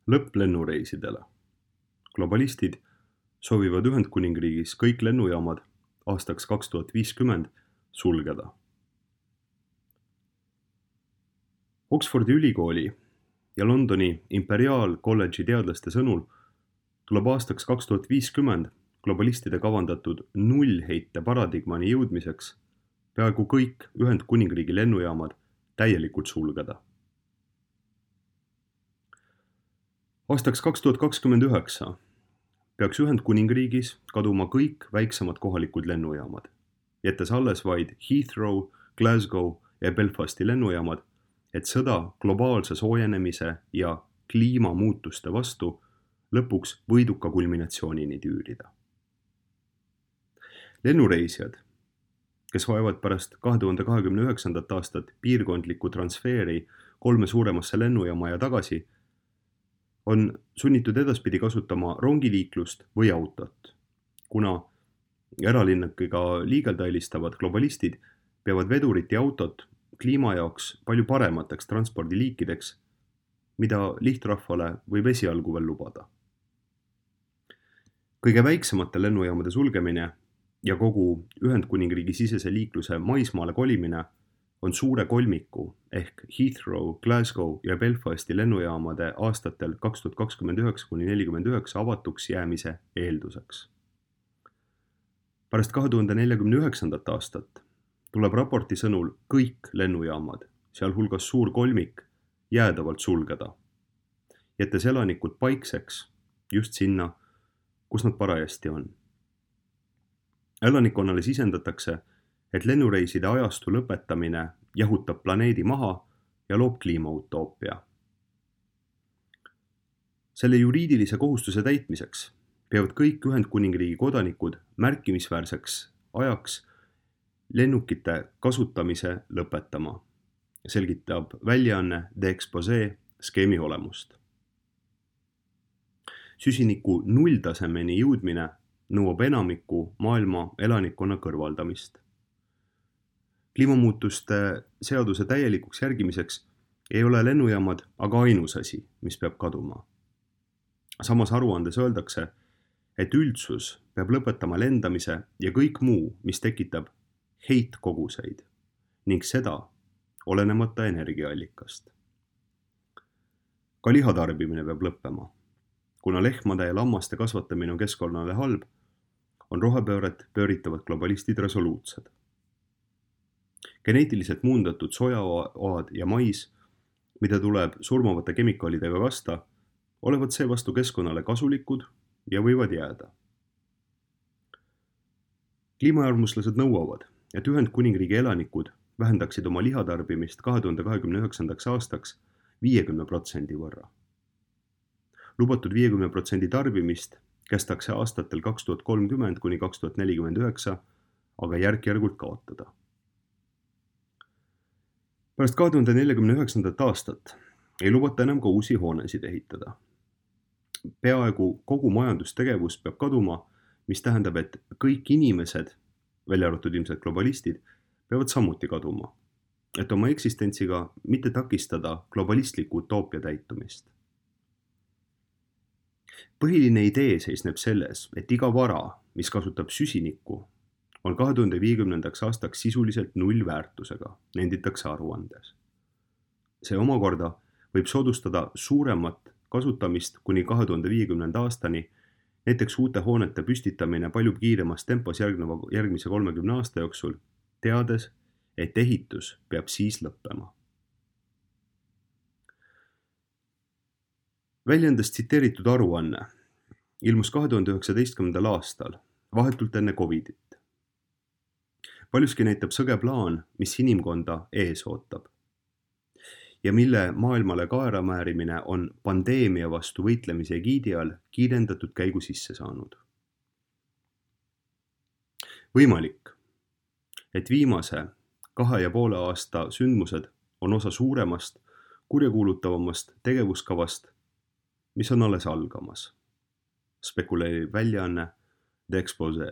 Lõpp lennureisidele. Globalistid soovivad Ühendkuningriigis kõik lennujaamad aastaks 2050 sulgeda. Oxfordi ülikooli ja Londoni Imperial College'i teadlaste sõnul tuleb aastaks 2050 globalistide kavandatud nullheite paradigmani jõudmiseks peaaegu kõik Ühendkuningriigi lennujaamad täielikult sulgeda. Aastaks 2029 peaks Ühendkuningriigis kaduma kõik väiksemad kohalikud lennujaamad, jättes alles vaid Heathrow, Glasgow ja Belfasti lennujaamad, et sõda globaalse soojenemise ja kliimamuutuste vastu lõpuks võiduka kulminatsioonini tüürida. Lennureisijad, kes vajavad pärast 2029. aastat piirkondlikku transfeeri 3 suuremasse lennujaama ja tagasi, on sunnitud edaspidi kasutama rongiliiklust või autot, kuna eralinnakiga liigelda eelistavad globalistid peavad vedurit ja autot kliima jaoks palju paremateks transpordiliikideks, mida lihtrahvale võib esialgu veel lubada. Kõige väiksemate lennujaamade sulgemine ja kogu Ühendkuningriigi sisese liikluse maismaale kolimine on suure kolmiku ehk Heathrow, Glasgow ja Belfasti lennujaamade aastatel 2029–49 avatuks jäämise eelduseks. Pärast 2049. aastat tuleb raporti sõnul kõik lennujaamad, sealhulgas suur kolmik, jäädavalt sulgeda, jättes elanikud paikseks just sinna, kus nad parajasti on. Elanikkonnale sisendatakse, et lennureiside ajastu lõpetamine jahutab planeedi maha ja loob kliimautoopia. Selle juriidilise kohustuse täitmiseks peavad kõik Ühendkuningriigi kodanikud märkimisväärseks ajaks lennukite kasutamise lõpetama, selgitab väljaanne The Exposé skeemi olemust. Süsiniku nulltasemeni jõudmine nõuab enamiku maailma elanikkonna kõrvaldamist. Kliimamuutuste seaduse täielikuks järgimiseks ei ole lennujaamad aga ainus asi, mis peab kaduma. Samas aruandes öeldakse, et üldsus peab lõpetama lendamise ja kõik muu, mis tekitab heitkoguseid ning seda olenemata energiaallikast. Ka lihatarbimine peab lõppema. Kuna lehmade ja lammaste kasvatamine on keskkonnale halb, on rohepööret pööritavad globalistid resoluutsed. Geneetiliselt muundatud sojaoad ja mais, mida tuleb surmavate kemikaalidega kasta, olevat seevastu keskkonnale kasulikud ja võivad jääda. Kliimaäärmuslased nõuavad, et Ühendkuningriigi elanikud vähendaksid oma lihatarbimist 2029. aastaks 50% võrra. Lubatud 50% tarbimist kestakse aastatel 2030–2049, aga järk-järgult kaotada. Pärast 2049. aastat ei lubata enam ka uusi hoonesid ehitada. Peaaegu kogu majandustegevus peab kaduma, mis tähendab, et kõik inimesed, välja arvatud ilmselt globalistid, peavad samuti kaduma, et oma eksistentsiga mitte takistada globalistliku utoopia täitumist. Põhiline idee seisneb selles, et iga vara, mis kasutab süsinikku, on 2050. aastaks sisuliselt nullväärtusega, nenditakse aruandes. See omakorda võib soodustada suuremat kasutamist kuni 2050. aastani, näiteks uute hoonete püstitamine palju kiiremas tempos järgmise 30 aasta jooksul, teades, et ehitus peab siis lõppema. Väljaandest tsiteeritud aruanne ilmus 2019. aastal, vahetult enne Covidit. Paljuski näitab sõge plaan, mis inimkonda ees ootab ja mille maailmale kaeramäärimine on pandeemia vastu võitlemise egiidi all kiirendatud käigu sisse saanud. Võimalik, et viimase 2,5 aasta sündmused on osa suuremast, kurjakuulutavamast tegevuskavast, mis on alles algamas, spekuleerib väljaanne The Exposé.